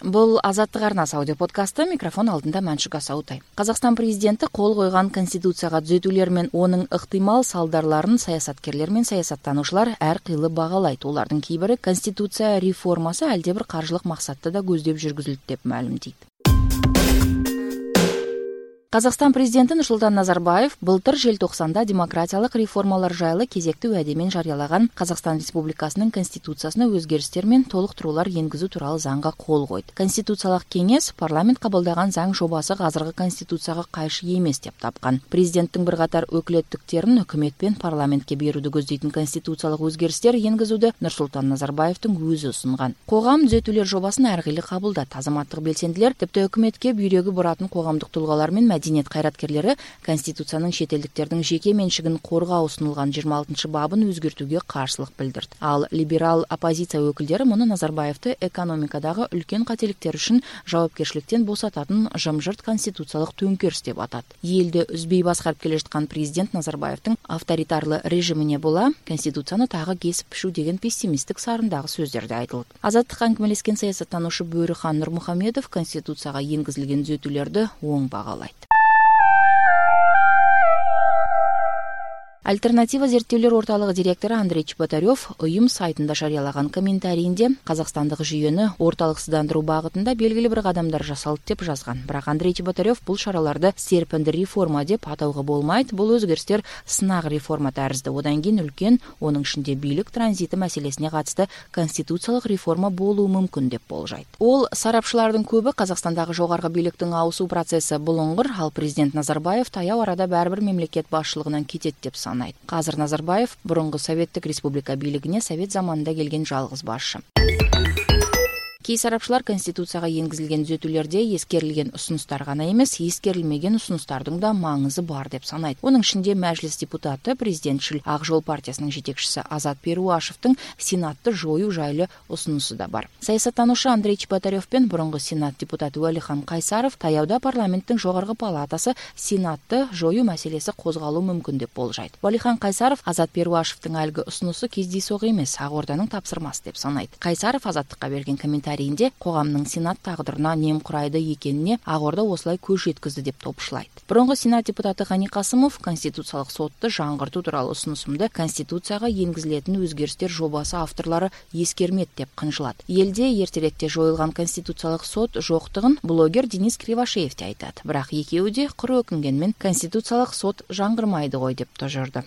Бул Азаттык арнасы аудио подкасты. Микрофон алдында Маншук Асаутай. Казакстан президенти кол койгон конституцияга түзөтүүлөр менен онун ыктымал салдарларын саясаткерлер менен саясаттануучулар ар кыйла багалайт. Улардын кээ бири конституция реформасы алде бир каржылык максатты да көздөп жүргүзүлдү деп маалымдайт. Казакстан президенти Нурсултан Назарбаев былтыр желтоқсанда демократиялык реформалар жайлы кезектүү уаде менен жарыялаган Казакстан Республикасынын конституциясына өзгөрүштөр менен толуктуруулар энгизүү тууралуу заңга кол койду. Конституциялык кеңес парламент кабылдаган заң жобасы азыркы конституцияга кайшы эмес деп тапкан. Президенттин бир катар өкүлөттүктөрүн өкмөт менен парламентке берүүдү көздөйтүн конституциялык өзгөрүштөр энгизүүдө Нурсултан Назарбаевдин өзү сунган. Когам түзөтүүлөр жобасын ар кыйла кабылдат. Азаматтык белсендилер типти өкмөткө бүйрөгү баратын коомдук тулгалар менен мәдениет кайраткерлери конституциянын чет элдиктердин жеке менчигин коргоо сунулган 26-бабын өзгөртүүгө каршылык билдирди. Ал либерал оппозиция өкүлдөрү муну Назарбаевди экономикадагы үлкөн кателиктер үчүн жоопкерчиликтен босататын жымжырт конституциялык төңкеріс деп атат. Элди үзбөй баскарып келе жаткан президент Назарбаевдин авторитарлы режимине була конституцияны тагы кесип пишүү деген пессимисттик сарындагы сөздөрдү айтылды. Азаттыкка аңгемелескен саясаттануучу Бөрүхан Нурмухамедов конституцияга энгизилген түзөтүүлөрдү оң багалайт. Альтернатива зерттөөлөр орталыгы директору Андрей Чеботарев уюм сайтында жарыялаган комментарийинде казакстандык жүйөнү орталыксыздандыруу багытында белгилүү бир кадамдар жасалды деп жазган. Бирок Андрей Чеботарев бул шараларды серпинди реформа деп атауга болмайт. Бул өзгөрүштөр сынак реформа тарызды. Одан кийин үлкен, онун ичинде бийлик транзити маселесине катысты конституциялык реформа болуу мүмкүн деп болжойт. Ол сарапчылардын көбү Казакстандагы жогорку бийликтин ауысуу процесси булуңгур, ал президент Назарбаев таяу арада баары бир мемлекет башчылыгынан кетет деп санайт. Азыр Назарбаев бурунку Советтик Республика бийлигине Совет заманында келген жалгыз башчы. Кей сарапчылар конституцияга энгизилген түзөтүүлөрдө эскерилген усунустар гана эмес, эскерилмеген усунустардын да маңызы бар деп санайт. Онун ичинде Мәжлис депутаты, президентчил Ак Жол партиясынын жетекчиси Азат Перуашевдин Сенатты жоюу жайлуу усунусу да бар. Саясаттануучу Андрей Чеботарев пен бурунку Сенат депутаты Валихан Кайсаров таяуда парламенттин жогорку палатасы Сенатты жоюу маселеси козголуу мүмкүн деп болжойт. Валихан Кайсаров Азат Перуашевдин алгы усунусу кездейсоқ эмес, Ак Орданын тапсырмасы деп санайт. Кайсаров Азаттыкка берген комментарийинде коомдун Сенат тагдырына нем курайды экенине Ак Орда осулай көз жеткизди деп топушлайт. Бурунку Сенат депутаты Гани Касымов конституциялык сотты жаңгыртуу тууралуу усунусумду конституцияга энгизилетін өзгөрүштөр жобасы авторлору эскермет деп кынжылат. Элде эртерээкте жоюлган конституциялык сот жоктугун блогер Денис Кривошеев айтат. Бирок экөөү де куру өкүнгөн менен конституциялык сот жаңгырмайды гой деп тожорду.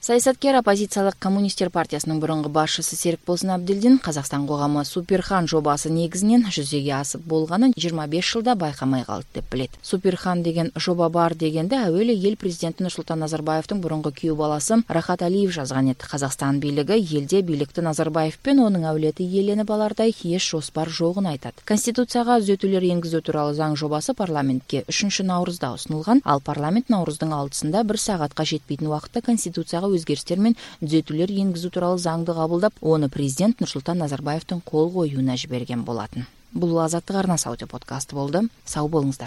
Саясаткер оппозициялык коммунисттер партиясынын бурунку башчысы Серикболсун Абдилдин Казакстан коому Суперхан жобасы негизинен жүзөгө асып болгонун 25 жылда байкамай калды деп билет. Суперхан деген жоба бар дегенде әүелі ел президенти Нурсултан Назарбаевдин бурунку күйөө баласы Рахат Алиев жазган эди. Казакстан бийлиги элде бийликти Назарбаев пен онун авлети ээленип алардай эч жоспар жогун айтат. Конституцияга түзөтүүлөр энгизүү тууралуу заң жобасы парламентке 3-наурузда усунулган. Ал парламент Наурыздын 6-сында 1 саатка жетпейтин убакытта конституцияга өзгөрүштөр менен түзөтүүлөр энгизүү тууралуу заңды кабылдап, оны президент Нурсултан Назарбаевдин кол коюуна жиберген болатын. Бул Азаттык арнасы аудио подкасты болду. Сау болуңуздар.